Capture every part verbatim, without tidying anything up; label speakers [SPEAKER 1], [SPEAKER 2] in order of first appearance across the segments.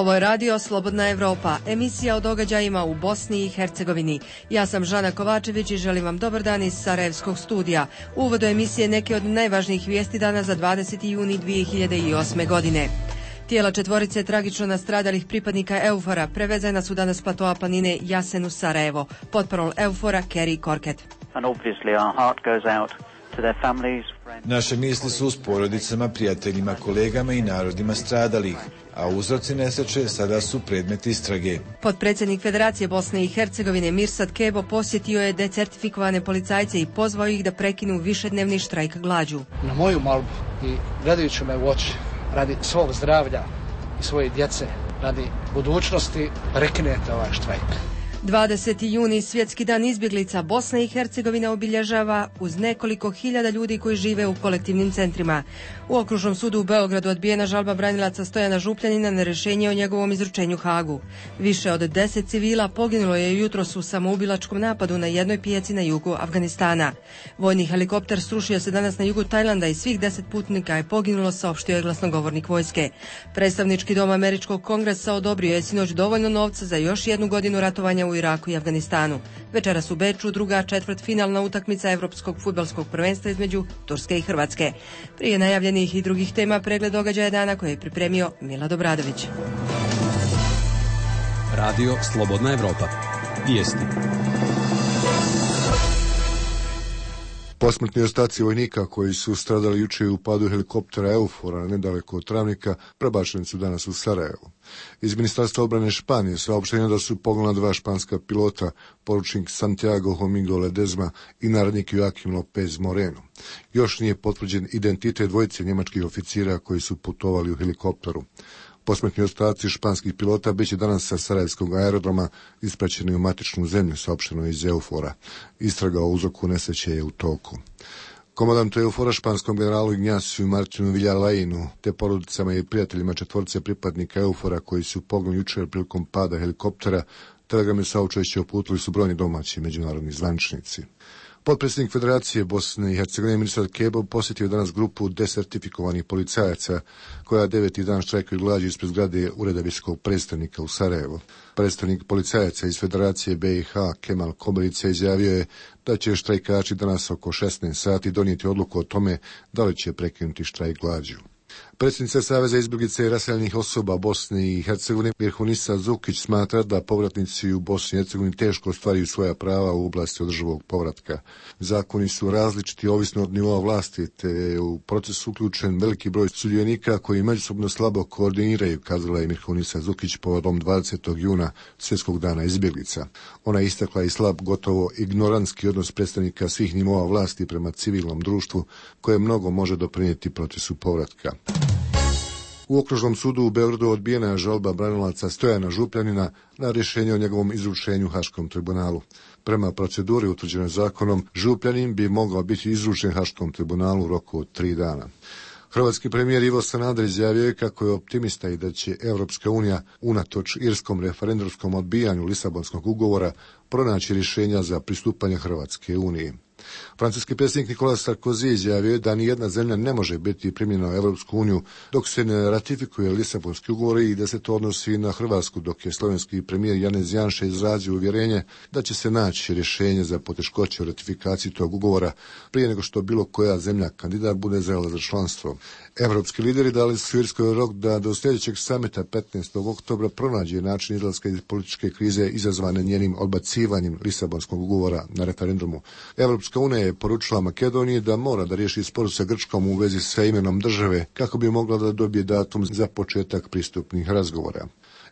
[SPEAKER 1] Ovo je radio Slobodna Evropa, emisija o događajima u Bosni i Hercegovini. Ja sam Žana Kovačević i želim vam dobar dan iz Sarajevskog studija. U uvodu emisije neke od najvažnijih vijesti dana za dvadeseti juni dvije hiljade osme. godine. Tijela četvorice tragično nastradalih pripadnika Eufora prevezena su danas s platoa planine Jasen u Sarajevo. Potparol Eufora Kerry Korket.
[SPEAKER 2] Naše misli su s porodicama, prijateljima, kolegama i narodima stradalih, a uzroci nesreće sada su predmet istrage.
[SPEAKER 1] Potpredsjednik Federacije Bosne i Hercegovine Mirsad Kebo posjetio je decertifikovane policajce i pozvao ih da prekinu višednevni štrajk glađu.
[SPEAKER 3] Na moju molbu i gledajući me u oči, radi svog zdravlja i svoje djece, radi budućnosti, prekinete ovaj štrajk.
[SPEAKER 1] dvadeseti juni, svjetski dan izbjeglica, Bosna i Hercegovina obilježava uz nekoliko hiljada ljudi koji žive u kolektivnim centrima. U Okružnom sudu u Beogradu odbijena žalba branilaca Stojana Župljanina na rješenje o njegovom izručenju Hagu. Više od deset civila poginulo je jutros u samoubilačkom napadu na jednoj pijaci na jugu Afganistana. Vojni helikopter srušio se danas na jugu Tajlanda i svih deset putnika je poginulo, saopštio je glasnogovornik vojske. Predstavnički dom Američkog kongresa odobrio je sinoć dovoljno novca za još jednu godinu ratovanja u Iraku i Afganistanu. Večeras u Beču druga četvrtfinalna utakmica Evropskog fudbalskog prvenstva između Turske i Hrvatske. Prije najavljenih i drugih tema pregled događaja dana koje je pripremio Milad Obradović.
[SPEAKER 4] Radio Slobodna Evropa. Vijesti.
[SPEAKER 5] Posmrtni ostaci vojnika koji su stradali jučer u padu helikoptera Eufora nedaleko od Travnika prebačeni su danas u Sarajevo. Iz Ministarstva obrane Španije saopštenje da su poginula dva španska pilota, poručnik Santiago Domingo Ledezma i narednik Joaquim López Moreno. Još nije potvrđen identitet dvojice njemačkih oficira koji su putovali u helikopteru. Posmrtni ostaci španskih pilota bit će danas sa sarajevskog aerodroma ispraćeni u matičnu zemlju, saopšteno iz Eufora. Istraga o uzroku nesreće je u toku. Komandantu Eufora, španskom generalu Ignaciju Martinu Villalajinu, te porodicama i prijateljima četvorce pripadnika Eufora koji su poginuli jučer prilikom pada helikoptera, telegrame saučešće uputili su brojni domaći i međunarodni zvaničnici. Potpredsjednik Federacije Bosne i Hercegovine Mirsad Kebo posjetio danas grupu desertifikovanih policajaca koja deveti dan štrajkaju glađu ispred zgrade Ureda visokog predstavnika u Sarajevo. Predstavnik policajaca iz Federacije B i H Kemal Koberica izjavio je da će štrajkači danas oko šesnaest sati donijeti odluku o tome da li će prekinuti štrajk glađu. Predsjednica Saveza izbjeglica i raseljenih osoba Bosne i Hercegovine Mirhunisa Zukić smatra da povratnici u Bosni i Hercegovini teško ostvaruju svoja prava u oblasti održivog povratka. Zakoni su različiti ovisno od nivoa vlasti, te je u proces uključen veliki broj sudionika koji međusobno slabo koordiniraju, kazala je Mirhunisa Zukić povodom dvadesetog juna svjetskog dana izbjeglica. Ona je istakla i slab, gotovo ignorantski odnos predstavnika svih nivoa vlasti prema civilnom društvu koje mnogo može doprinijeti procesu povratka. U Okružnom sudu u Beogradu odbijena je žalba branilaca Stojana Župljanina na rješenje o njegovom izručenju Haškom tribunalu. Prema proceduri utvrđenoj zakonom, Župljanin bi mogao biti izručen Haškom tribunalu u roku od tri dana. Hrvatski premijer Ivo Sanader izjavio je kako je optimista i da će Evropska unija unatoč irskom referendumskom odbijanju Lisabonskog ugovora pronaći rješenja za pristupanje Hrvatske uniji. Francuski predsjednik Nicolas Sarkozy izjavio je da nijedna zemlja ne može biti primljena u Evropsku uniju dok se ne ratifikuje Lisabonski ugovor i da se to odnosi na Hrvatsku, dok je slovenski premijer Janez Janša izrazio uvjerenje da će se naći rješenje za poteškoće u ratifikaciji tog ugovora prije nego što bilo koja zemlja kandidat bude zrela za članstvo. Evropski lideri dali su Irskoj rok da do sljedećeg samita petnaestog oktobra pronađe način izlaska iz političke krize izazvane njenim odbacivanjem Lisabonskog ugovora na referendumu. Evropska unija je poručila Makedoniji da mora da riješi spor sa Grčkom u vezi sa imenom države kako bi mogla da dobije datum za početak pristupnih razgovora.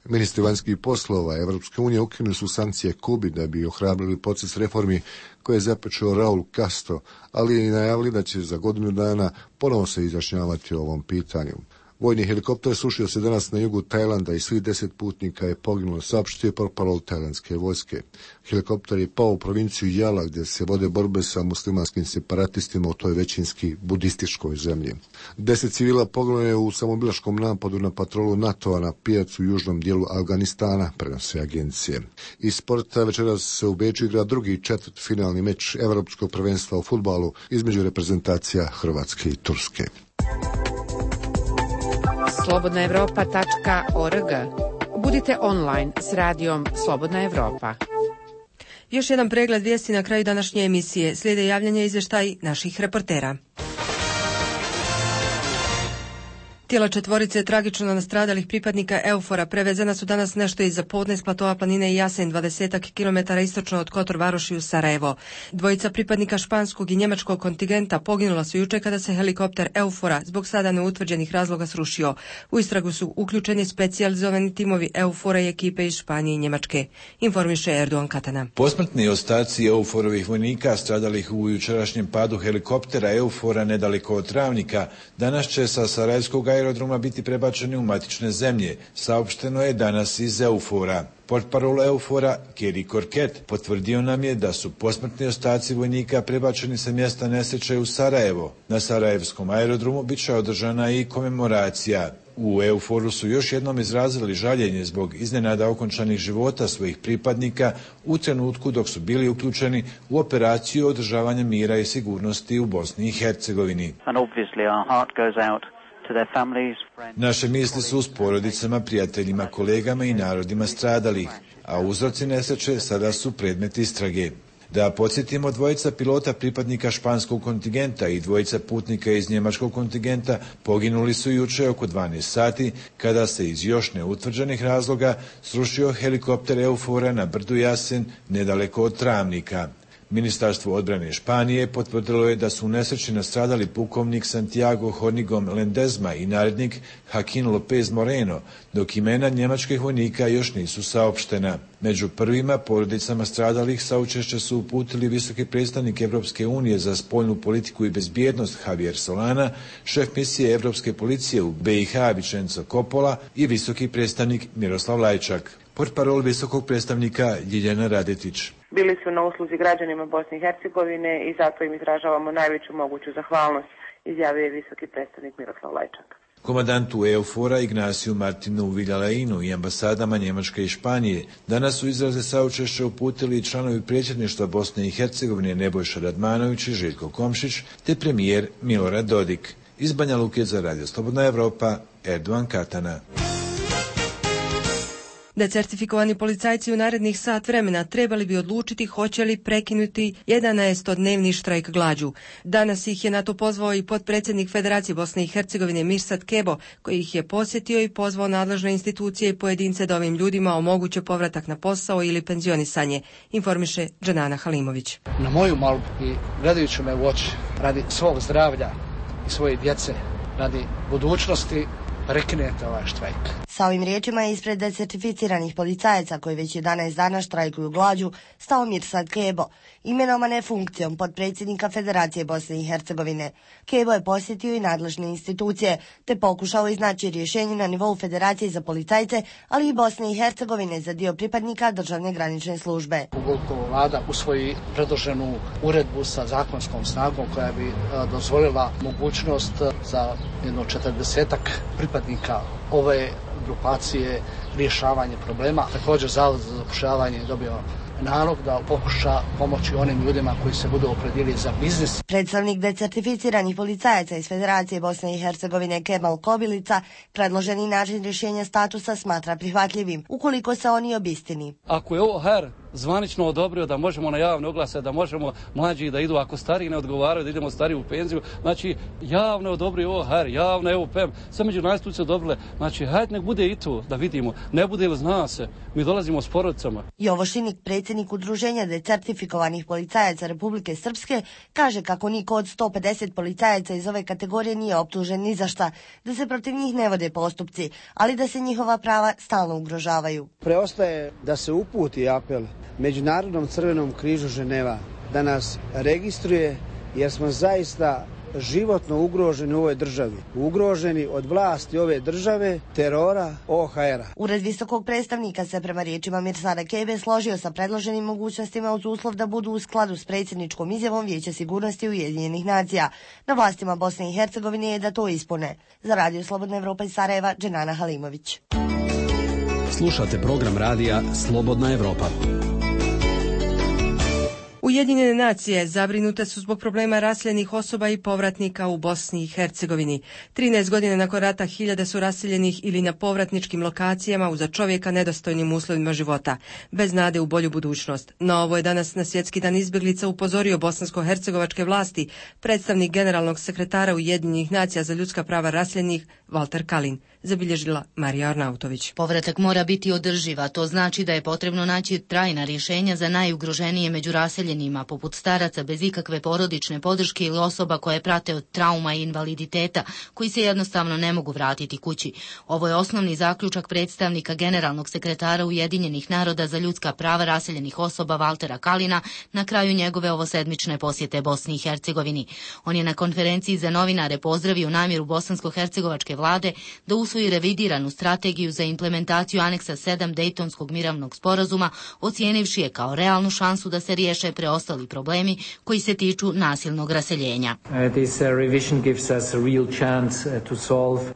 [SPEAKER 5] Ministri vanjskih poslova Evropske unije ukinuli su sankcije Kubi da bi ohrabrili proces reformi koje je započeo Raul Castro, ali i najavili da će za godinu dana ponovo se izjašnjavati o ovom pitanju. Vojni helikopter srušio se danas na jugu Tajlanda i svih deset putnika je poginulo, saopštio portparol tajlandske vojske. Helikopter je pao u provinciju Jala gdje se vode borbe sa muslimanskim separatistima u toj većinski budističkoj zemlji. Deset civila poginulo je u samoubilačkom napadu na patrolu NATO-a na pijacu u južnom dijelu Afganistana, prenose agencije. Iz sporta večeras se u Beču igra drugi četvrtfinalni meč Evropskog prvenstva u fudbalu između reprezentacija Hrvatske i Turske.
[SPEAKER 6] slobodna evropa tačka org. Budite online s radijom Slobodna Evropa.
[SPEAKER 1] Još jedan pregled vijesti na kraju današnje emisije. Slijede javljanje i izvještaj naših reportera. Tijela četvorice tragično nastradalih pripadnika Eufora prevezena su danas nešto iza podne s platoa planine Jasen, dvadesetak kilometara istočno od Kotor Varoši u Sarajevo. Dvojica pripadnika španskog i njemačkog kontingenta poginula su juče kada se helikopter Eufora zbog sada neutvrđenih razloga srušio. U istragu su uključeni specijalizovani timovi Eufora i ekipe iz Španije i Njemačke. Informiše Erdogan Katana.
[SPEAKER 2] Posmrtni ostaci Euforovih vojnika stradalih u jučerašnjem padu helikoptera Eufora nedaleko od Travnika danas će sa sarajevskog aerodroma biti prebačeni u matične zemlje, saopšteno je danas iz Eufora. Portparol Eufora, Keri Korket, potvrdio nam je da su posmrtni ostaci vojnika prebačeni sa mjesta nesreće u Sarajevo. Na sarajevskom aerodromu bit će održana i komemoracija. U Euforu su još jednom izrazili žaljenje zbog iznenada okončanih života svojih pripadnika u trenutku dok su bili uključeni u operaciju održavanja mira i sigurnosti u Bosni i Hercegovini. Naše misli su s porodicama, prijateljima, kolegama i narodima stradalih, a uzroci nesreće sada su predmet istrage. Da podsjetimo, dvojica pilota pripadnika španskog kontingenta i dvojica putnika iz njemačkog kontingenta poginuli su juče oko dvanaest sati kada se iz još neutvrđenih razloga srušio helikopter Eufora na brdu Jasen nedaleko od Travnika. Ministarstvo odbrane Španije potvrdilo je da su u nesreći nastradali pukovnik Santiago Hornigom Lendezma i narednik Joaquin López Moreno, dok imena njemačkih vojnika još nisu saopštena. Među prvima porodicama stradalih saučešće su uputili visoki predstavnik Evropske unije za spoljnu politiku i bezbjednost Javier Solana, šef misije Evropske policije u B i H Vicenzo Coppola i visoki predstavnik Miroslav Lajčak. Portparol visokog predstavnika Ljiljana Radetić.
[SPEAKER 7] Bili su na usluzi građanima Bosne i Hercegovine i zato im izražavamo najveću moguću zahvalnost, izjavio je visoki predstavnik Miroslav Lajčak.
[SPEAKER 2] Komandantu Eufora Ignaciju Martinu Viljalainu i ambasadama Njemačke i Španije danas su izraze saučešća uputili i članovi predsjedništva Bosne i Hercegovine Nebojša Radmanović i Željko Komšić te premijer Milorad Dodik. Iz Banja Luke za Radio Slobodna Evropa, Erdogan Katana.
[SPEAKER 1] Decertifikovani policajci u narednih sat vremena trebali bi odlučiti hoće li prekinuti jedanaestodnevni štrajk glađu. Danas ih je na to pozvao i potpredsjednik Federacije Bosne i Hercegovine Mirsad Kebo, koji ih je posjetio i pozvao nadležne institucije i pojedince da ovim ljudima omoguće povratak na posao ili penzionisanje, informiše Dženana Halimović.
[SPEAKER 3] Na moju molbu i gledajući me u oči radi svog zdravlja i svoje djece, radi budućnosti, prekinete ovaj štrajk.
[SPEAKER 8] Sa ovim riječima je ispred decertificiranih policajaca koji već jedanaest dana štrajkuju glađu stao Mirsad Kebo, imenovane funkcijom potpredsjednika Federacije Bosne i Hercegovine. Kebo je posjetio i nadležne institucije te pokušao iznaći rješenje na nivou Federacije za policajce, ali i Bosne i Hercegovine za dio pripadnika državne granične službe.
[SPEAKER 3] Ukoliko vlada usvoji predloženu uredbu sa zakonskom snagom koja bi dozvolila mogućnost za jedno četrdesetak pripadnika ove grupacije rješavanje problema. Također Zavod za zapošljavanje je dobio nalog da pokuša pomoći onim ljudima koji se budu opredijelili za biznis.
[SPEAKER 8] Predstavnik decertificiranih policajaca iz Federacije Bosne i Hercegovine Kemal Kobilica predloženi način rješenja statusa smatra prihvatljivim, ukoliko se oni obistini.
[SPEAKER 9] Ako je ovo H R zvanično odobrio da možemo na javne oglase, da možemo mlađi da idu, ako stariji ne odgovaraju da idemo stariji u penziju, znači javno odobrio ovo H R, javno evo P E M, sve međunarodne institucije odobrile, znači hajde nek bude i tu da vidimo, ne bude ili zna se, mi dolazimo s porodicama.
[SPEAKER 8] Jovo Šinik, predsjednik Udruženja decertifikovanih policajaca Republike Srpske, kaže kako niko od sto pedeset policajaca iz ove kategorije nije optužen ni za šta, da se protiv njih ne vode postupci, ali da se njihova prava stalno ugrožavaju.
[SPEAKER 10] Preostaje da se uputi apel Međunarodnom Crvenom križu Ženeva da nas registruje, jer smo zaista životno ugroženi u ovoj državi. Ugroženi od vlasti ove države, terora O H R-a.
[SPEAKER 8] Ured visokog predstavnika se prema riječima Mirsada Kebe složio sa predloženim mogućnostima uz uslov da budu u skladu s predsjedničkom izjavom Vijeća sigurnosti Ujedinjenih nacija. Na vlastima Bosne i Hercegovine je da to ispune. Za Radio Slobodna Evropa iz Sarajeva, Dženana Halimović.
[SPEAKER 4] Slušate program radija Slobodna Evropa.
[SPEAKER 1] U Ujedinjene nacije zabrinute su zbog problema raseljenih osoba i povratnika u Bosni i Hercegovini. trinaest godina nakon rata hiljade su raseljenih ili na povratničkim lokacijama u za čovjeka nedostojnim uslovima života, bez nade u bolju budućnost. Na ovo je danas na Svjetski dan izbjeglica upozorio bosansko-hercegovačke vlasti predstavnik generalnog sekretara Ujedinjenih nacija za ljudska prava raseljenih Valter Kalin, zabilježila Marija Arnautović.
[SPEAKER 11] Povratak mora biti održiv, a to znači da je potrebno naći trajna rješenja za najugroženije među raseljenima, poput staraca bez ikakve porodične podrške ili osoba koje prate od trauma i invaliditeta, koji se jednostavno ne mogu vratiti kući. Ovo je osnovni zaključak predstavnika generalnog sekretara Ujedinjenih naroda za ljudska prava raseljenih osoba Valtera Kalina na kraju njegove ovosedmične posjete Bosni i Hercegovini. On je na konferenciji za novinare pozdravio namjeru bosansko-hercegovačke vlade da usvoji revidiranu strategiju za implementaciju aneksa sedam Dejtonskog mirovnog sporazuma, ocijenivši je kao realnu šansu da se riješe preostali problemi koji se tiču nasilnog raseljenja.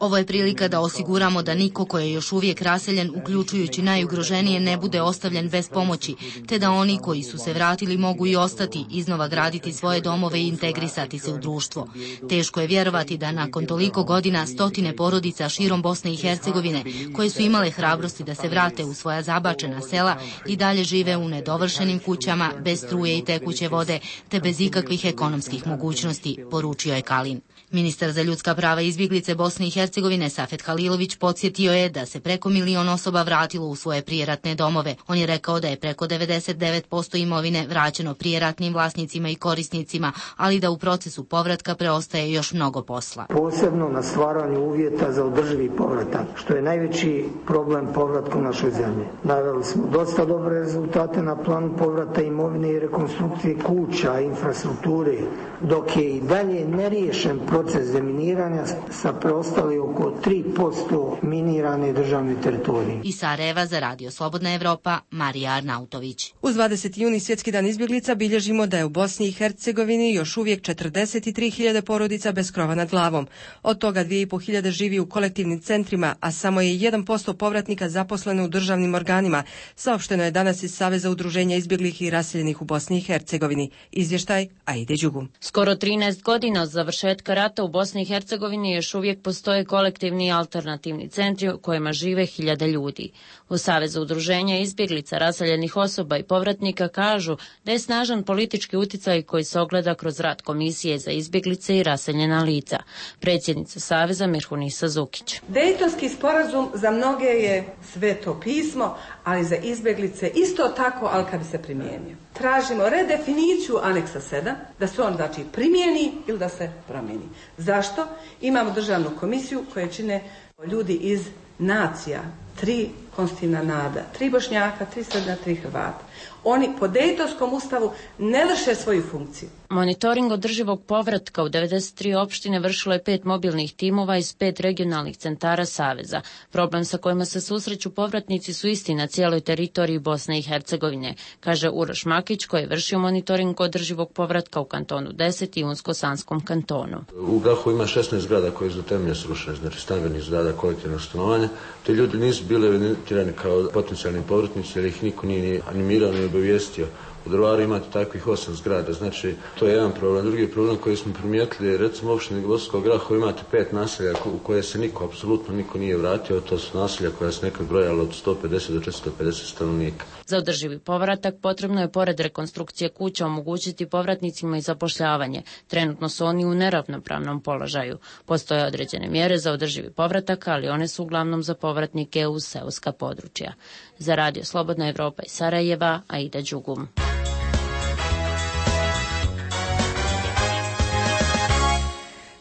[SPEAKER 11] Ovo je prilika da osiguramo da niko ko je još uvijek raseljen, uključujući najugroženije, ne bude ostavljen bez pomoći, te da oni koji su se vratili mogu i ostati, iznova graditi svoje domove i integrisati se u društvo. Teško je vjerovati da nakon toliko godina stotine porodica širom Bosne i Hercegovine, koje su imale hrabrosti da se vrate u svoja zabačena sela, i dalje žive u nedovršenim kućama, bez struje i tekuće vode, te bez ikakvih ekonomskih mogućnosti, poručio je Kalin. Ministar za ljudska prava i izbjeglice Bosne i Hercegovine Safet Halilović podsjetio je da se preko milion osoba vratilo u svoje prijeratne domove. On je rekao da je preko devedeset devet posto imovine vraćeno prijeratnim vlasnicima i korisnicima, ali da u procesu povratka preostaje još mnogo posla.
[SPEAKER 12] Posebno na stvaranju uvjeta za održivi povratak, što je najveći problem povratka u našoj zemlji. Naveli smo dosta dobre rezultate na planu povrata imovine i rekonstrukcije kuća, infrastrukture, dok je i dalje neriješen proces deminiranja sa preostali oko tri posto minirane državne teritorije.
[SPEAKER 11] Iz Sarajeva za Radio Slobodna Evropa, Marija Arnautović.
[SPEAKER 1] Uz dvadeseti juni Svjetski dan izbjeglica bilježimo da je u Bosni i Hercegovini još uvijek četrdeset tri hiljade porodica bez krova nad glavom. Od toga dvije i pol hiljade živi u kolektivnim centrima, a samo je jedan posto povratnika zaposleno u državnim organima, saopšteno je danas iz Saveza udruženja izbjeglih i raseljenih u Bosni i Hercegovini. Izvještaj Aide Đugum.
[SPEAKER 13] Skoro trinaest godina od završetka rata u Bosni i Hercegovini još uvijek postoje kolektivni i alternativni centri u kojima žive hiljade ljudi. U Savezu udruženja izbjeglica, raseljenih osoba i povratnika kažu da je snažan politički utjecaj koji se ogleda kroz rad Komisije za izbjeglice i raseljena lica. Predsjednica Saveza Mirhunisa Zukić.
[SPEAKER 14] Dejtonski sporazum za mnoge je sveto pismo, ali za izbjeglice isto tako, ali kad bi se primijenio. Tražimo redefiniciju aneksa sedam, da se on znači primijeni ili da se promijeni. Zašto? Imamo državnu komisiju koju čine ljudi iz nacija, tri konstitutivna naroda, tri Bošnjaka, tri Srba, tri Hrvata. Oni po Dejtonskom ustavu ne vrše svoju funkciju.
[SPEAKER 13] Monitoring održivog povratka u devedeset tri opštine vršilo je pet mobilnih timova iz pet regionalnih centara Saveza. Problem sa kojima se susreću povratnici su isti na cijeloj teritoriji Bosne i Hercegovine, kaže Uroš Makić, koji je vršio monitoring održivog povratka u kantonu deset i Unsko-Sanskom kantonu.
[SPEAKER 15] U Grahu ima šesnaest zgrada koje su do temelja srušene, znači stambenih zgrada kolektivnog stanovanja. Te ljudi nisu bili evidentirani kao potencijalni povratnici jer ih niko nije animirao ni obavijestio. U Drvaru imate takvih osam zgrada, znači to je jedan problem. Drugi problem koji smo primijetili je recimo u opštini Bosanskog Graha imate pet naselja u koje se niko, apsolutno niko nije vratio, to su naselja koja se nekad brojala od sto pedeset do četiristo pedeset stanovnika.
[SPEAKER 13] Za održivi povratak potrebno je pored rekonstrukcije kuća omogućiti povratnicima i zapošljavanje. Trenutno su oni u neravnopravnom položaju. Postoje određene mjere za održivi povratak, ali one su uglavnom za povratnike u seoska područja. Za Radio Slobodna Evropa iz Sarajeva, Aida Đugum.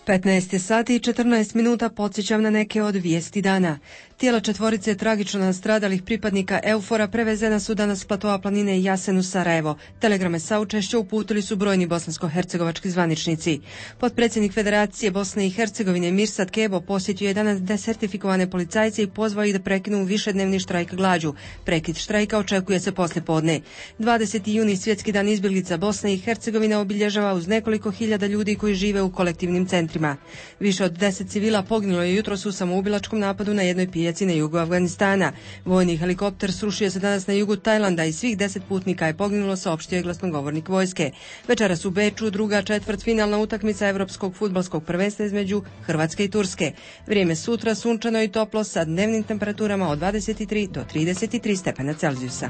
[SPEAKER 1] petnaest sati i četrnaest minuta, podsjećam na neke od vijesti dana. Tijela četvorice tragično nastradalih pripadnika Eufora prevezena su danas s platoa planine Jasen u Sarajevo. Telegrame saučešća uputili su brojni bosansko-hercegovački zvaničnici. Potpredsjednik Federacije Bosne i Hercegovine Mirsad Kebo posjetio je danas desertifikovane policajce i pozvao ih da prekinu višednevni štrajk glađu. Prekid štrajka očekuje se poslijepodne. dvadeseti juni Svjetski dan izbjeglica Bosne i Hercegovine obilježava uz nekoliko hiljada ljudi koji žive u kolektivnim centrima. Više od deset civila poginulo je jutros u samoubilačkom napadu na jednoj pijaci Americi na jugu Afganistana. Vojni helikopter srušio se danas na jugu Tajlanda i svih deset putnika je poginulo, saopštio je glasnogovornik vojske. Večeras u Beču druga četvrtfinalna utakmica Evropskog fudbalskog prvenstva između Hrvatske i Turske. Vrijeme sutra sunčano i toplo sa dnevnim temperaturama od dvadeset tri do trideset tri stepena Celzijusa.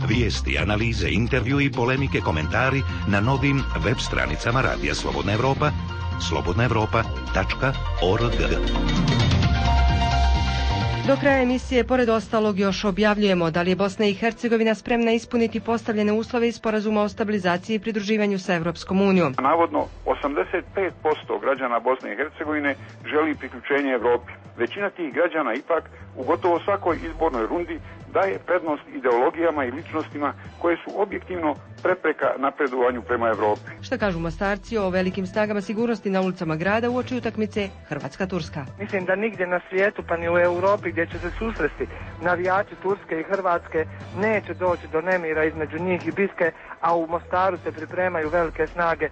[SPEAKER 16] Vijesti, analize, intervju i polemike, komentari na novim web stranicama Radija Slobodna Evropa, slobodna evropa tačka org.
[SPEAKER 1] Do kraja emisije, pored ostalog, još objavljujemo da li je Bosna i Hercegovina spremna ispuniti postavljene uslove iz sporazuma o stabilizaciji i pridruživanju sa Evropskom unijom.
[SPEAKER 17] Navodno, osamdeset pet posto građana Bosne i Hercegovine želi priključenje Evropi. Većina tih građana ipak u gotovo svakoj izbornoj rundi daje prednost ideologijama i ličnostima koje su objektivno prepreka napredovanju prema Evropi.
[SPEAKER 1] Šta kažu Mostarci o velikim snagama sigurnosti na ulicama grada uoči utakmice Hrvatska-Turska?
[SPEAKER 18] Mislim da nigdje na svijetu, pa ni u Europi gdje će se susresti navijači Turske i Hrvatske, neće doći do nemira između njih i biske, a u Mostaru se pripremaju velike snage.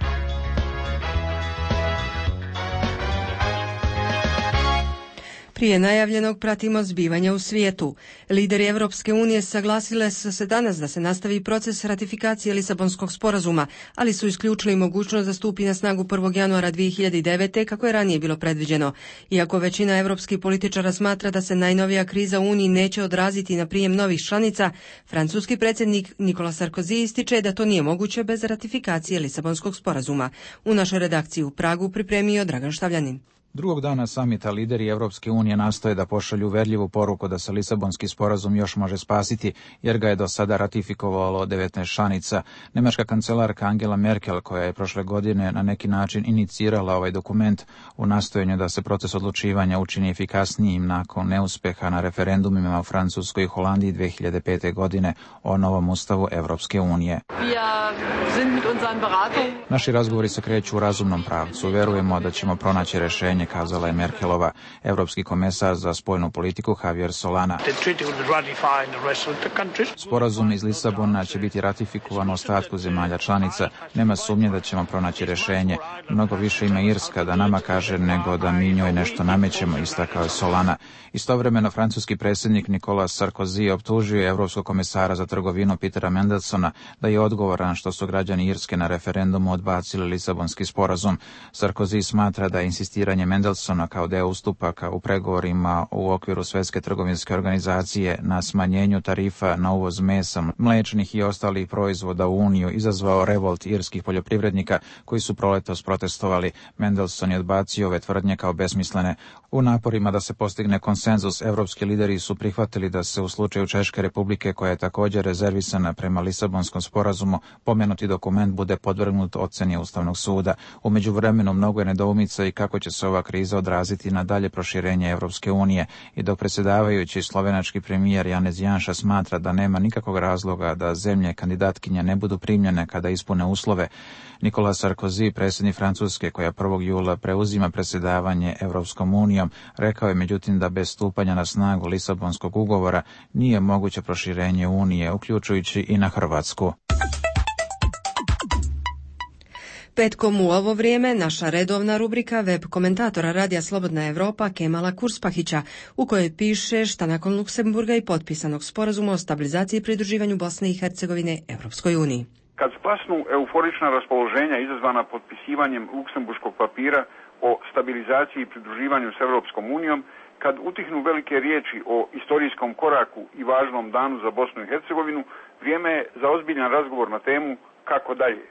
[SPEAKER 1] Prije najavljenog pratimo zbivanja u svijetu. Lideri Evropske unije saglasile su se danas da se nastavi proces ratifikacije Lisabonskog sporazuma, ali su isključili mogućnost da stupi na snagu prvog januara dvije hiljade devete. kako je ranije bilo predviđeno. Iako većina evropskih političara smatra da se najnovija kriza u Uniji neće odraziti na prijem novih članica, francuski predsjednik Nicolas Sarkozy ističe da to nije moguće bez ratifikacije Lisabonskog sporazuma. U našoj redakciji u Pragu pripremio Dragan Štavljanin.
[SPEAKER 19] Drugog dana samita lideri Evropske unije nastoje da pošalju uverljivu poruku da se Lisabonski sporazum još može spasiti, jer ga je do sada ratifikovalo devetnaest članica. Nemačka kancelarka Angela Merkel, koja je prošle godine na neki način inicirala ovaj dokument u nastojanju da se proces odlučivanja učini efikasnijim nakon neuspeha na referendumima u Francuskoj i Holandiji dvije hiljade pete. godine o novom ustavu Evropske unije. Naši razgovori se kreću u razumnom pravcu. Verujemo da ćemo pronaći rješenje, kazala je Merkelova. Evropski komesar za spoljnu politiku Javier Solana. Sporazum iz Lisabona će biti ratifikovan u ostatku zemalja članica. Nema sumnje da ćemo pronaći rješenje. Mnogo više ima Irska da nama kaže nego da mi njoj nešto namećemo, istakao je Solana. Istovremeno, francuski predsjednik Nicolas Sarkozy optužio je Evropskog komesara za trgovinu Petera Mandelsona da je odgovoran što su građani Irske na referendumu odbacili Lisabonski sporazum. Sarkozy smatra da je insistiranje Mandelsona kao deo ustupaka u pregovorima u okviru Svjetske trgovinske organizacije na smanjenju tarifa na uvoz mesa, mlečnih i ostalih proizvoda u Uniju izazvao revolt irskih poljoprivrednika koji su proletos protestovali. Mandelson je odbacio ove tvrdnje kao besmislene. U naporima da se postigne konsenzus, evropski lideri su prihvatili da se u slučaju Češke republike, koja je također rezervisana prema Lisabonskom sporazumu, pomenuti dokument bude podvrgnut ocjeni Ustavnog suda. U međuvremenu mnogo je nedoumica i kako će se ova kriza odraziti na dalje proširenje Evropske unije, i dok predsjedavajući slovenački premijer Janez Janša smatra da nema nikakvog razloga da zemlje kandidatkinje ne budu primljene kada ispune uslove, Nicolas Sarkozy, predsjednik Francuske, koja prvog jula preuzima predsjedavanje Evropskom unijom, rekao je međutim da bez stupanja na snagu Lisabonskog ugovora nije moguće proširenje Unije, uključujući i na Hrvatsku.
[SPEAKER 1] Petkom u ovo vrijeme naša redovna rubrika web komentatora Radija Slobodna Evropa Kemala Kurspahića, u kojoj piše šta nakon Luksemburga i potpisanog sporazuma o stabilizaciji i pridruživanju Bosne i Hercegovine Evropskoj uniji.
[SPEAKER 17] Kad splasnu euforična raspoloženja izazvana potpisivanjem luksemburškog papira o stabilizaciji i pridruživanju s Evropskom unijom, kad utihnu velike riječi o istorijskom koraku i važnom danu za Bosnu i Hercegovinu, vrijeme je za ozbiljan razgovor na temu kako dalje.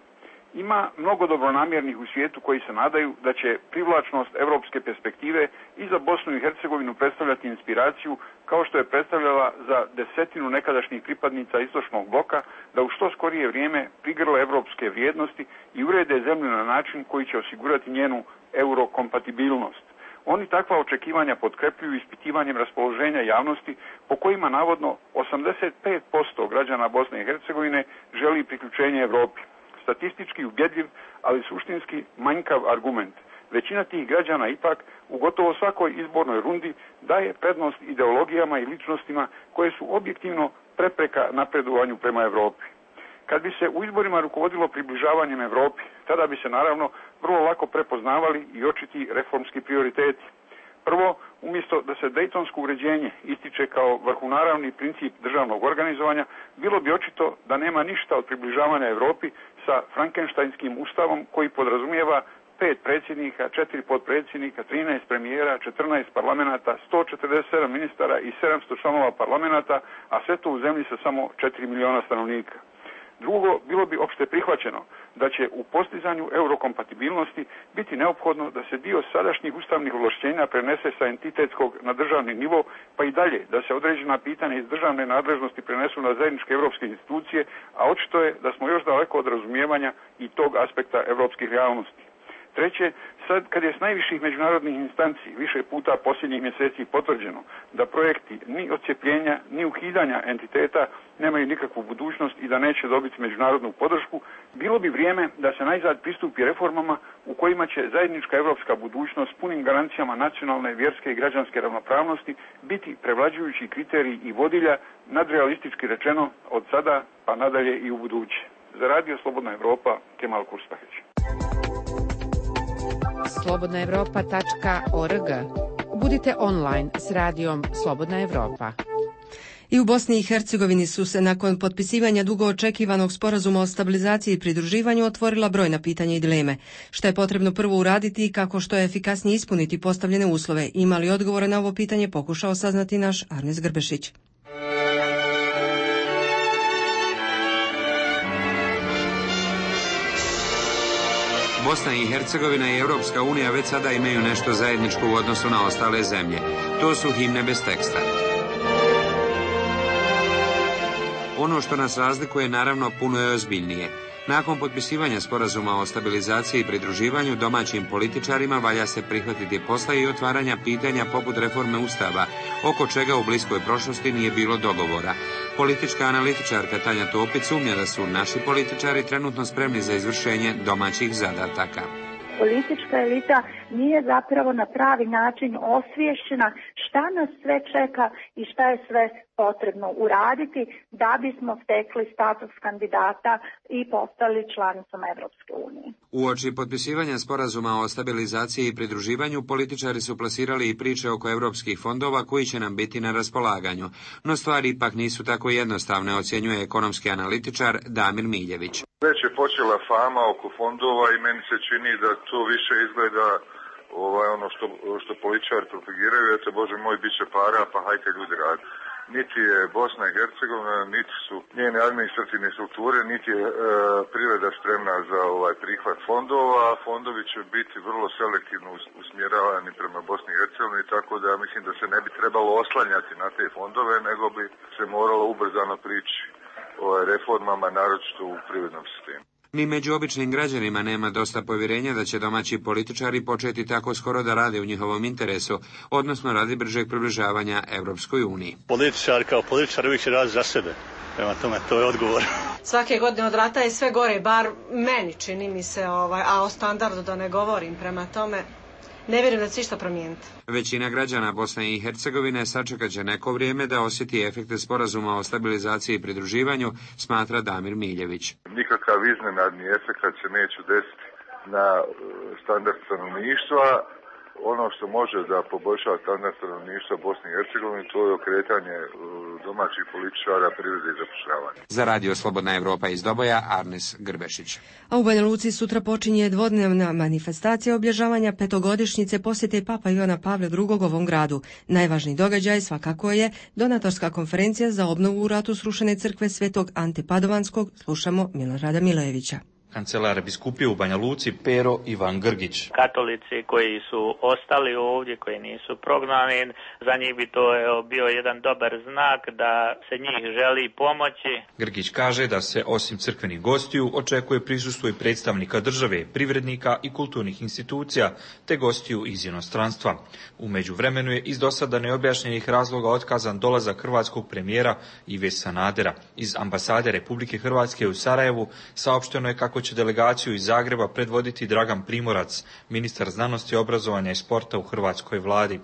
[SPEAKER 17] Ima mnogo dobronamjernih u svijetu koji se nadaju da će privlačnost evropske perspektive i za Bosnu i Hercegovinu predstavljati inspiraciju, kao što je predstavljala za desetinu nekadašnjih pripadnica istočnog bloka, da u što skorije vrijeme prigrle evropske vrijednosti i urede zemlju na način koji će osigurati njenu eurokompatibilnost. Oni takva očekivanja potkrepljuju ispitivanjem raspoloženja javnosti, po kojima navodno osamdeset pet posto građana Bosne i Hercegovine želi priključenje Evropi. Statistički ubjedljiv, ali suštinski manjkav argument. Većina tih građana ipak u gotovo svakoj izbornoj rundi daje prednost ideologijama i ličnostima koje su objektivno prepreka napredovanju prema Evropi. Kad bi se u izborima rukovodilo približavanjem Evropi, tada bi se naravno vrlo lako prepoznavali i očiti reformski prioriteti. Prvo, umjesto da se dejtonsko uređenje ističe kao vrhunaravni princip državnog organizovanja, bilo bi očito da nema ništa od približavanja Europi sa frankenštajnskim ustavom koji podrazumijeva pet predsjednika, četiri potpredsjednika, trinaest premijera, četrnaest parlamenata, sto četrdeset sedam ministara i sedamsto članova parlamenata, a sve to u zemlji sa samo četiri miliona stanovnika. Drugo, bilo bi opšte prihvaćeno da će u postizanju eurokompatibilnosti biti neophodno da se dio sadašnjih ustavnih ovlašćenja prenese sa entitetskog na državni nivo, pa i dalje da se određena pitanja iz državne nadležnosti prenesu na zajedničke europske institucije, a očito je da smo još daleko od razumijevanja i tog aspekta europskih realnosti. Treće, sad kad je s najviših međunarodnih instanci više puta posljednjih mjeseci potvrđeno da projekti ni odcjepljenja ni ukidanja entiteta nemaju nikakvu budućnost i da neće dobiti međunarodnu podršku, bilo bi vrijeme da se najzad pristupi reformama u kojima će zajednička europska budućnost s punim garancijama nacionalne, vjerske i građanske ravnopravnosti biti prevlađujući kriterij i vodilja, nadrealistički rečeno, od sada pa nadalje i u buduće. Za Radio Slobodna Evropa, Kemal Kurspaheć.
[SPEAKER 6] slobodna evropa tačka org. Budite online s radijom Slobodna Evropa.
[SPEAKER 1] I u Bosni i Hercegovini su se nakon potpisivanja dugo očekivanog sporazuma o stabilizaciji i pridruživanju otvorila brojna pitanja i dileme. Šta je potrebno prvo uraditi i kako što je efikasnije ispuniti postavljene uslove? Ima li odgovore na ovo pitanje pokušao saznati naš Arnes Grbešić.
[SPEAKER 20] Bosna i Hercegovina i Europska unija već sada imaju nešto zajedničko u odnosu na ostale zemlje. To su himne bez teksta. Ono što nas razlikuje naravno puno je ozbiljnije. Nakon potpisivanja sporazuma o stabilizaciji i pridruživanju domaćim političarima valja se prihvatiti posla i otvaranja pitanja poput reforme Ustava, oko čega u bliskoj prošlosti nije bilo dogovora. Politička analitičarka Tanja Topić sumnja da su naši političari trenutno spremni za izvršenje domaćih zadataka.
[SPEAKER 21] Politička elita nije zapravo na pravi način osviješćena šta nas sve čeka i šta je sve potrebno uraditi da bismo stekli status kandidata i postali članicom Evropske unije.
[SPEAKER 20] Uoči potpisivanja sporazuma o stabilizaciji i pridruživanju, političari su plasirali i priče oko evropskih fondova koji će nam biti na raspolaganju. No stvari ipak nisu tako jednostavne, ocjenjuje ekonomski analitičar Damir Miljević.
[SPEAKER 22] Već je počela fama oko fondova i meni se čini da to više izgleda ovaj, ono što, što političari propagiraju, eto Bože moj, bit će para, pa hajte ljudi radi. Niti je Bosna i Hercegovina, niti su njene administrativne strukture, niti je e, privreda spremna za ovaj prihvat fondova. Fondovi će biti vrlo selektivno usmjeravani prema Bosni i Hercegovini, tako da mislim da se ne bi trebalo oslanjati na te fondove, nego bi se moralo ubrzano prići o reformama, naročito u privrednom sistemu.
[SPEAKER 20] Ni među običnim građanima nema dosta povjerenja da će domaći političari početi tako skoro da rade u njihovom interesu, odnosno radi bržeg približavanja Evropskoj uniji.
[SPEAKER 23] Političar kao političar uvijek će raditi za sebe. Prema tome, to je odgovor.
[SPEAKER 24] Svake godine od rata je sve gore, bar meni čini mi se, ovaj, a o standardu da ne govorim, prema tome ne vjerujem da će išta promijeniti.
[SPEAKER 20] Većina građana Bosne i Hercegovine sačekat će neko vrijeme da osjeti efekte sporazuma o stabilizaciji i pridruživanju, smatra Damir Miljević.
[SPEAKER 22] Nikakav iznenadni efekt se neće desiti na standard stanovništva. Ono što može da poboljša standard stanovništva Bosne i Hercegovine, to je okretanje domaćih političara, privrede i zapošljavanja.
[SPEAKER 20] Za Radio Slobodna Evropa iz Doboja, Arnes Grbešić.
[SPEAKER 1] A u Banja Luci sutra počinje dvodnevna manifestacija obilježavanja petogodišnjice posjete Papa Ivana Pavla drugog ovom gradu. Najvažniji događaj svakako je donatorska konferencija za obnovu u ratu srušene crkve Svetog Ante Padovanskog. Slušamo Milorada Milojevića.
[SPEAKER 25] Kancelar biskupije u Banja Luci Pero Ivan Grgić.
[SPEAKER 26] Katolici koji su ostali ovdje, koji nisu prognani, za njih bi to bio jedan dobar znak da se njih želi pomoći.
[SPEAKER 25] Grgić kaže da se osim crkvenih gostiju očekuje prisustvo i predstavnika države, privrednika i kulturnih institucija, te gostiju iz inostranstva. U međuvremenu je iz dosada neobjašnjenih razloga otkazan dolazak hrvatskog premijera Ive Sanadera. Iz ambasade Republike Hrvatske u Sarajevu saopšteno je kako kako će delegaciju iz Zagreba predvoditi Dragan Primorac, ministar znanosti, obrazovanja i sporta u hrvatskoj vladi.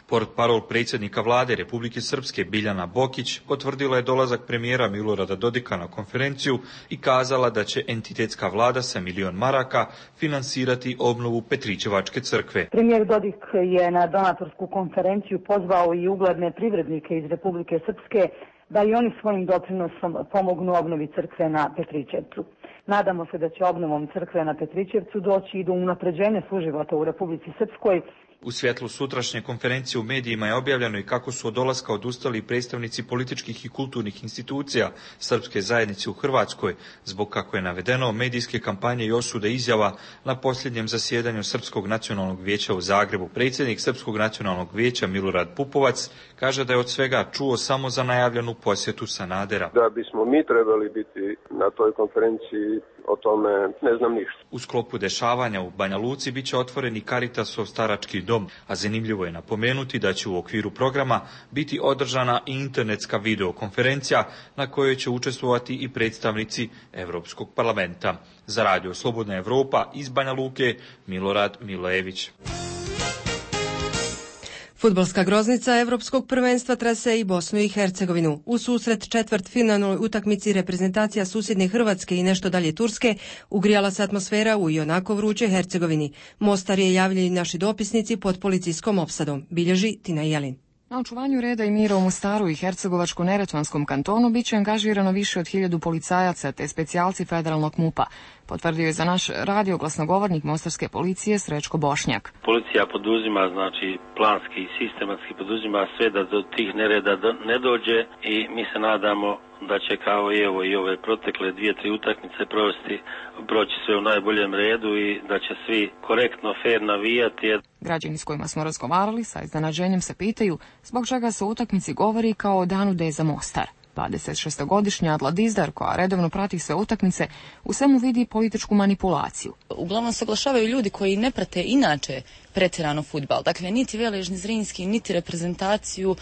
[SPEAKER 25] Portparol predsjednika vlade Republike Srpske Biljana Bokić potvrdila je dolazak premijera Milorada Dodika na konferenciju i kazala da će entitetska vlada sa milion maraka finansirati obnovu Petričevačke crkve.
[SPEAKER 2] Premijer Dodik je na donatorsku konferenciju pozvao i ugledne privrednike iz Republike Srpske da i oni svojim doprinosom pomognu obnovi crkve na Petričevcu. Nadamo se da će obnovom crkve na Petričevcu doći i do unapređenja suživota u Republici Srpskoj.
[SPEAKER 25] U svjetlu sutrašnje konferencije u medijima je objavljeno i kako su od dolaska odustali predstavnici političkih i kulturnih institucija srpske zajednice u Hrvatskoj, zbog, kako je navedeno, medijske kampanje i osude izjava na posljednjem zasjedanju Srpskog nacionalnog vijeća u Zagrebu. Predsjednik Srpskog nacionalnog vijeća Milorad Pupovac kaže da je od svega čuo samo za najavljenu posjetu Sanadera.
[SPEAKER 3] Da bismo mi trebali biti na toj konferenciji, o tome ne znam ništa.
[SPEAKER 25] U sklopu dešavanja u Banja Luci bit će otvoren i Caritasov starački dom, a zanimljivo je napomenuti da će u okviru programa biti održana i internetska videokonferencija na kojoj će učestvovati i predstavnici Europskog parlamenta. Za Radio Slobodna Evropa iz Banja Luke, Milorad Milojević.
[SPEAKER 1] Fudbalska groznica Evropskog prvenstva trase i Bosnu i Hercegovinu. U susret četvrtfinalnoj utakmici reprezentacija susjedne Hrvatske i nešto dalje Turske ugrijala se atmosfera u ionako vruće Hercegovini. Mostar je, javljaju naši dopisnici, pod policijskom opsadom. Bilježi Tina Jelin.
[SPEAKER 5] Na očuvanju reda i mira u Mostaru i Hercegovačko-Neretvanskom kantonu biće angažirano više od hiljadu policajaca te specijalci federalnog MUP-a, potvrdio je za naš radio glasnogovornik mostarske policije Srećko Bošnjak.
[SPEAKER 7] Policija poduzima, znači planski i sistematski poduzima sve da do tih nereda ne dođe i mi se nadamo da će kao i evo i ove protekle dvije, tri utakmice provesti, proći sve u najboljem redu i da će svi korektno, fair navijati.
[SPEAKER 5] Građani s kojima smo razgovarali sa iznenađenjem se pitaju zbog čega se o utakmici govori kao o danu D za Mostar. dvadesetšestogodišnja Adla Dizdar, koja redovno prati sve utakmice, u svemu vidi političku manipulaciju.
[SPEAKER 9] Uglavnom se oglašavaju ljudi koji ne prate inače pretjerano fudbal. Dakle, niti Veležni Zrinski, niti reprezentaciju,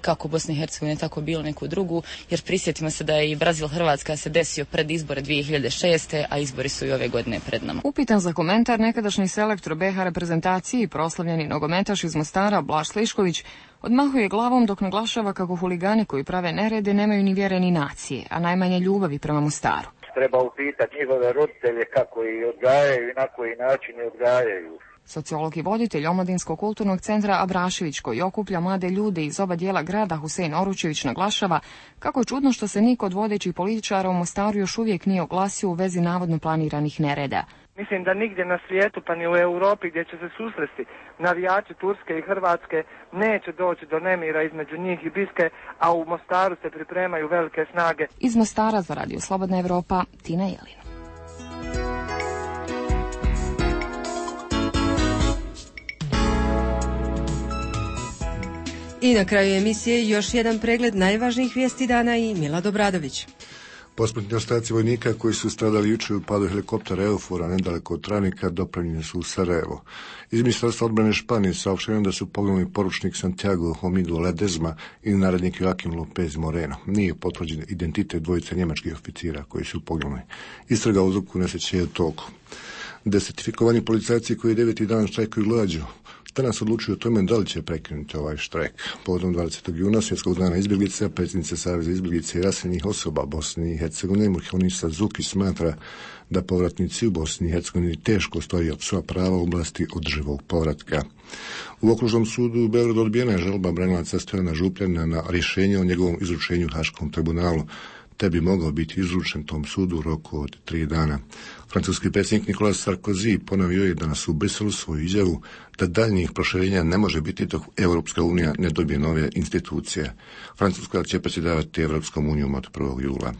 [SPEAKER 9] kako Bosne i Hercegovine, tako bilo neku drugu, jer prisjetimo se da je i Brazil-Hrvatska se desio pred izbore dvije hiljade šeste. a izbori su i ove godine pred nama.
[SPEAKER 5] Upitan za komentar nekadašnji selektor B H reprezentaciji i proslavljeni nogometaš iz Mostara Blaž Slišković odmahuje glavom dok naglašava kako huligani koji prave nerede nemaju ni vjere ni nacije, a najmanje ljubavi prema Mostaru.
[SPEAKER 10] Treba upitati njihove roditelje kako ih odgajaju i na koji način ih odgajaju.
[SPEAKER 5] Sociolog i voditelj Omladinskog kulturnog centra Abrašević, koji okuplja mlade ljude iz oba dijela grada, Husein Oručević, naglašava kako je čudno što se niko od vodećih političara u Mostaru još uvijek nije oglasio u vezi navodno planiranih nereda.
[SPEAKER 18] Mislim da nigdje na svijetu, pa ni u Europi, gdje će se susresti navijači Turske i Hrvatske, neće doći do nemira između njih i Biske, a u Mostaru se pripremaju velike snage.
[SPEAKER 5] Iz Mostara za Radio Slobodna Evropa, Tina Jelin.
[SPEAKER 1] I na kraju emisije još jedan pregled najvažnijih vijesti dana i Milad Obradović.
[SPEAKER 27] Posmrtni ostaci vojnika koji su stradali jučer u padu helikoptera Eufora nedaleko od Tranika dopravljeni su u Sarajevo. Iz Ministarstva odbrane Španije saopšteno da su poginuli poručnik Santiago Homido Ledezma i narednik Joaquim López Moreno. Nije potvrđen identitet dvojice njemačkih oficira koji su poginuli. Istraga o uzroku nesreće je u toku. Desertifikovani policajci koji deveti dan štrajkuju glađu danas odlučuju o tome da li će prekinuti ovaj štrajk. Povodom dvadesetog juna svjetskog dana izbjeglica, predsjednica Saveza izbjeglica i raseljenih osoba Bosne i Hercegovine Murhanisa Zuki smatra da povratnici u Bosni i Hercegovini teško stoji od svoja prava u oblasti održivog povratka. U okružnom sudu u Beogradu odbijena je žalba branilaca Stojana Župljana na rješenje o njegovom izručenju Haškom tribunalu, te bi mogao biti izručen tom sudu u roku od tri dana. Francuski predsjednik Nicolas Sarkozy ponovio je danas u Briselu svoju izjavu da daljnjih proširenja ne može biti dok Europska unija ne dobije nove institucije. Francuska će predsjedavati Europskom unijom od prvog jula.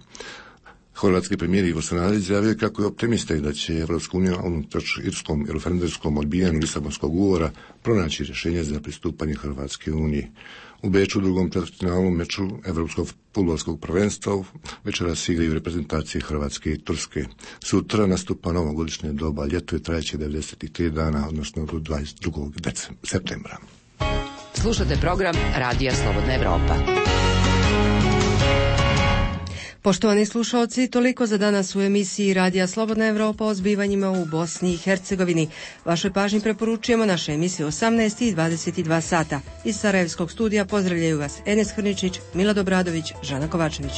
[SPEAKER 27] Hrvatski premijer Ivo Sanader izjavio kako je optimista i da će Evropska unija unatoč irskom i referendumskom odbijanju Lisabonskog ugovora pronaći rješenje za pristupanje Hrvatske uniji. U Beču u drugom četvrtfinalu meču Evropskog fudbalskog prvenstva večeras igraju reprezentacije Hrvatske i Turske. Sutra nastupa novogodišnje doba, ljeto je trajeće devedeset tri dana, odnosno do dvadeset drugog septembra.
[SPEAKER 28] Slušate program Radija Slobodna Evropa.
[SPEAKER 1] Poštovani slušalci, toliko za danas u emisiji Radija Slobodna Evropa o zbivanjima u Bosni i Hercegovini. Vašoj pažnji preporučujemo naše emisije osamnaest i dvadeset dva sata. Iz Sarajevskog studija pozdravljaju vas Enes Hrničić, Milad Obradović, Žana Kovačević.